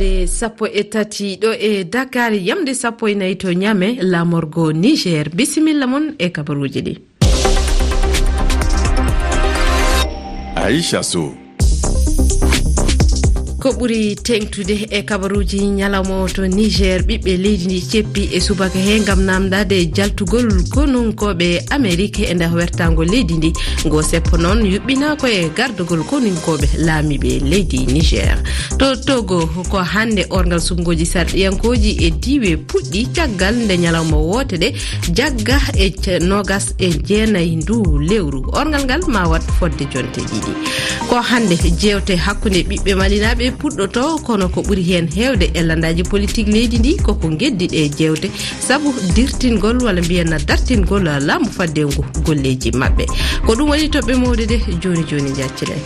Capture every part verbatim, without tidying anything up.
E sappo e tati ɗo e Dakar, yamde sappo e nayi to Niamey, laamorgo Niger. Bisimilla mon e kabaruuji ɗi. Aisha Sow. Ko ɓuri teeŋtude e kabaruuji ñalawma o to Niger, ɓiɓɓe leydi ndi ceppi e subaka he ngam naamndaade jaltugol konunkooɓe Amerik e nder wertaango leydi ndi. Ngo seppo noon yuɓɓinaa ko e gardagol konunkooɓe laamiiɓe leydi Niger. To Togo, ko hannde orngal suɓngooji sarɗiyankooji e diiwe puɗɗi caggal nde ñalawma woote ɗe jagga e ce-, noogas e jeenayi ndu lewru. Orngal ngal ma waɗ fodde jonte ɗiɗi. Ko hannde jeewte hakkunde ɓiɓɓe malinaaɓe puɗɗoto, kono ko ɓuri heen heewde e landaaji politik leydi ndi koko geddi ɗe jeewte, sabu dirtingol walla mbiyen dartingol laamu fadde ngu golleeji maɓɓe. Ko ɗum woni toɓɓe mawɗe ɗe jooni jooni njacciɗen.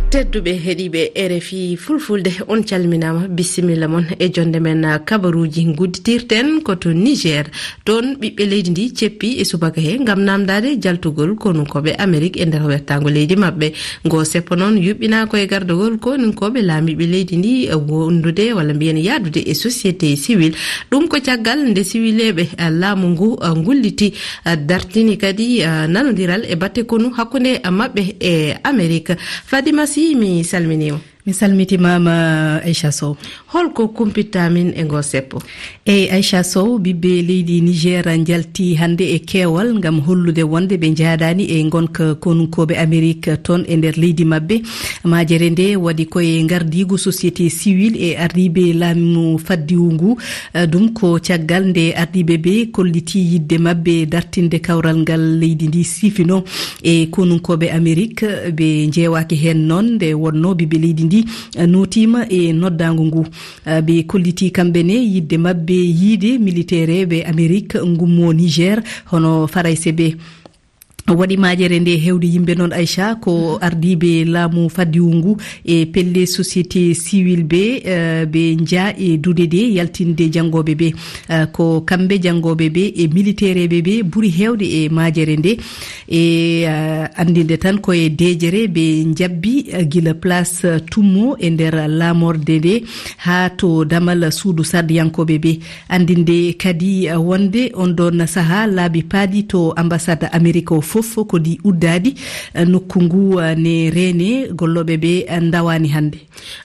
Tedduɓe heɗiiɓe R F I Fulfulde, on calminaama, bisimilla mon e jonde men kabaruuji. Ngudditirten ko to Niger. Toon ɓiɓɓe leydi ndi ceppi e subaka he ngam naamndaade jaltugol konunkooɓe Amerik e nder wertaango leydi maɓɓe. Ngo seppo noon yuɓɓinaa ko e gardagol konunkooɓe laamiiɓe leydi ndi, e wondude walla mbiyen yahdude e société civile. Ɗum ko caggal nde siwileeɓe, eh, laamu ngu, eh, ngulliti, eh, dartini kadi, eh, nanondiral e batte konu hakkunde, eh, maɓɓe e Amerik. Fadima Sy, mi salminiima. Mi salmitimaama, Aisha Sow. Holko kumpitta min e ngo seppo? Eyi, Aisha Sow, ɓiɓɓe leydi Niger njalti hannde e keewal ngam hollude wonde ɓe njaadaani e ngonka konunkooɓe Amerik toon e nder leydi maɓɓe. Majere nde waɗi ko e ngardiigu société civile e ardiiɓe laamu faddiwu ngu. Eh, ɗum ko caggal nde ardiiɓe ɓe kolliti yiɗde maɓɓe dartinde kawral ngal leydi ndi sifino e konunkooɓe Amerik. Ɓe njeewaaki heen noon nde wonnoo ɓiɓɓe leydi ndi, eh, nootiima e noddaango ngu. Eh, ɓe kolliti kamɓe ne yiɗde maɓɓe yiide militeereeɓe Amerik ngummo Niger, hono Farayse ɓe. Waɗi majere nde heewde yimɓe noon, Aisha, ko ardiiɓe laamu faddiwu ngu e pelle société civile ɓe, eh, ɓe njaa e duɗe ɗe yaltinde janngooɓe ɓe. Eh, ko kamɓe janngooɓe ɓe e militeereeɓe ɓe ɓuri heewde e majere nde. E, eh, anndinde tan ko e deejere ɓe njabbi, eh, gila place, eh, Tummo e nder laamorde nde haa to damal suudu sarɗiyankooɓe ɓe. Anndinde kadi, eh, wonde on ɗon sahaa laabi paaɗi to ambassade Amerik o fof ko ɗi uddaaɗi, eh, nokku ngu, eh, ne reene gollooɓe ɓe, eh, ndawaani hannde.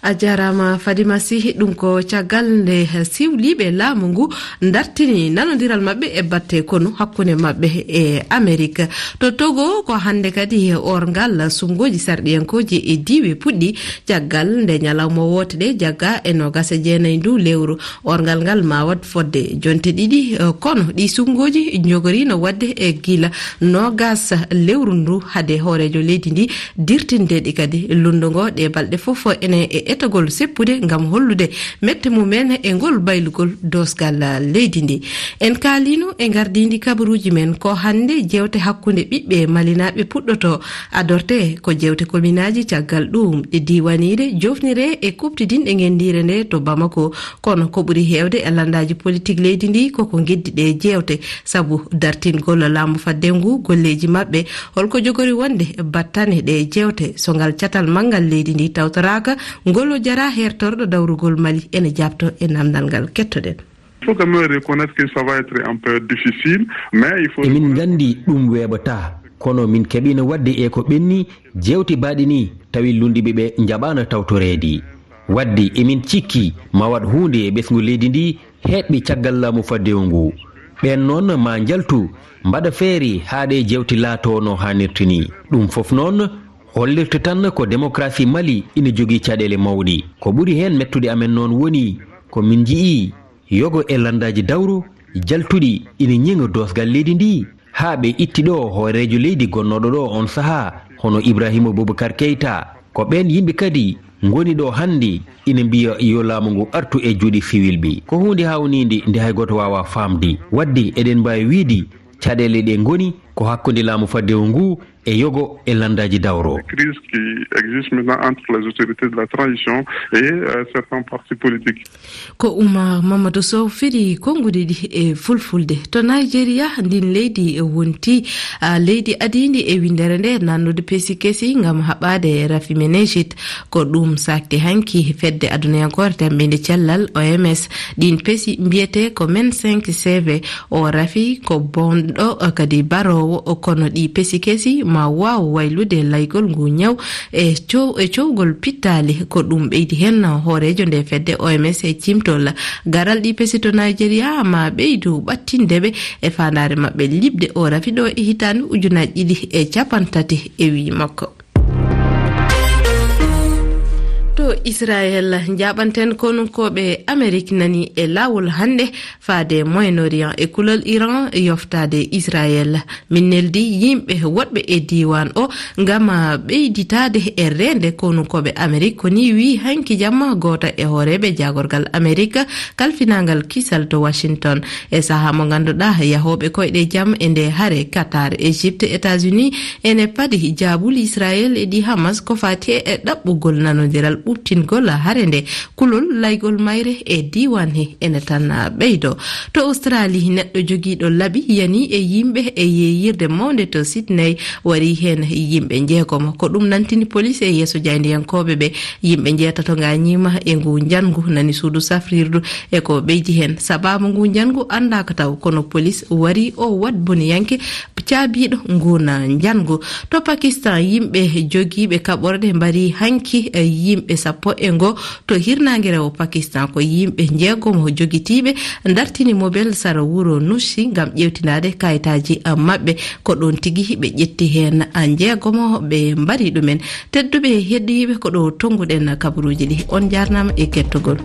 A jaaraama Fadima Sy, ɗum ko caggal nde siwliiɓe laamu ngu dartini nanondiral maɓɓe e batte konu hakkunde maɓɓe e Amerik. To Togo, ko hannde kadi orngal suɓngooji sarɗiyankooji e diiwe puɗɗi caggal nde ñalawma woote ɗe jagga e noogas e jeenayi ndu lewru. Orngal ngal ma waɗ fodde jonte ɗiɗi, eh, kono ɗi suɓngooji njogoriino waɗde e gila noogas lewru ndu hade hooreejo leydi ndi dirtinde ɗi kadi. Lunndo ngo ɗe balɗe fof ene e etogol seppude ngam hollude mette mum en e ngol baylugol doosgal leydi ndi. En kaaliino e ngardiindi kabaruuji men ko hannde jeewte hakkunde ɓiɓɓe malinaaɓe puɗɗoto. Adorte ko jeewte kominaaji, caggal ɗum ɗe diiwaniiɗe, joofnire e kuuɓtidinɗe ngenndiire nde to Bamako. Kono ko ɓuri heewde e lanndaaji politik leydi ndi koko geddi ɗe jeewte, sabu dartingol laamu fadde ngu golleeji maɓɓe. Holko jogori wonde battane ɗe jeewte so ngal catal manngal leydi ndi tawtoraaka? Ngolo Jara, hertorɗo dawrugol Mali, ene jaabto e naamndal ngal. Kettoɗen. Il faut quand même reconnaître que ça va être un peu difficile, mais il faut... Emin nganndi ɗum weeɓataa, kono min keɓiino waɗde e ko ɓenni jeewte baaɗe ni, tawi lunndiiɓe ɓe njaɓaano tawtoreede. Waɗde emin cikki ma waɗ huunde e ɓesngu leydi ndi heɓɓi caggal laamu faddewu ngu. Ɓeen noon ma njaltu, mbaɗa feere haa ɗe jeewte laatoo no haanirta ni. Ɗum fof noon hollirta tan ko démocratie Mali ina jogii caɗeele mawɗe. Ko ɓuri heen mettude amen noon woni ko min njiyii yogo e lanndaaji dawro jaltuɗi ina ñiŋa doosgal leydi ndi, haa ɓe itti ɗo hooreejo leydi gonnooɗo ɗo on sahaa, hono Ibrahima Boubacar Keita. Ko ɓeen yimɓe kadi ngoni ɗo hannde ina mbiya yo laamu ngu artu e juuɗe siwilɓe. Ko huunde haawniinde nde hay gooto waawaa faamde. Waɗde eɗen mbaawi wiyde caɗeele ɗe ngoni ko hakkunde laamu faddewu ngu e yogo e landaaji dawro. Crise qui existe maintenant entre les autorités de la transition et, euh, certains partis politiques. Ko Oumar Mamadou Sow firi konnguɗi ɗi e fulfulde. To Nigeria, ndin leydi e wonti, ah, leydi adiindi e winndere nde nannude pesi kesi ngam haɓaade rafi menejit. Ko ɗum sakti hanki fedde adunayankore tammbinde cellal, O M S. Ɗin pesi mbiyete ko men cinq C V. O rafi ko bonɗo, kadi baroowo, kono ɗi pesi kesi ma waaw waylude laygol ngu ñaw e cow-, e cowgol pittaali. Ko ɗum ɓeydi heen hooreejo nde fedde O M S e cimtol. Garal ɗi pesi to Nigeria ma ɓeydu ɓattinde ɓe e faandaare maɓɓe liɓde o rafi ɗo e hitaande ujunaaji ɗiɗi e cappanɗe tati e wii makko. To Israel, njaaɓanten konunkooɓe Amerik nani e laawol hannde faade Moyen-Orient e kulol Iran yoftaade Israel. Min neldi yimɓe woɗɓe e diiwaan o ngam ɓeyditaade e reende konunkooɓe Amerik, ko ni wii hanki jamma gooto e hooreeɓe jaagorgal Amerik kalfinaangal kisal to Washington. E sahaa mo ngannduɗaa yahooɓe koyɗe jam e nde hare, Qatar, Egypte, États-Unis ene padi jaabuli Israel e ɗi Hamas ko fati e ɗaɓɓugol nanondiral ɓuɓtingol hare nde. Kulol laygol mayre e diiwaan he ene tan ɓeydo. To Australie, neɗɗo jogiiɗo labi yani e yimɓe e yeeyirde mawnde to Sydney wari heen yimɓe njeegomo. Ko ɗum nantini police e yeeso jaayndiyankooɓe ɓe. Yimɓe njeetato ngañiima e ngu njanngu nani suudu safrirdu e ko ɓeydi heen. Sabaabu ngu njanngu anndaaka taw, kono police wari o waɗ boniyanke caabiiɗo ngun njanngu. To Pakistan, yimɓe jogiiɓe kaɓorɗe mbari hanki, eh, yimɓe sappo e ngo to hirnaange rewo Pakistan. Ko yimɓe njeegomo jogitiiɓe ndartini mobel sara wuro Nushi ngam ƴeewtinaade kayitaaji, eh, maɓɓe. Ko ɗoon tigi ɓe ƴetti heen, eh, njeegomo ɓe mbari ɗumen. Tedduɓe heddiiɓe, ko ɗo tonnguɗen kabaruuji ɗi. On njaarnaama e kettogol.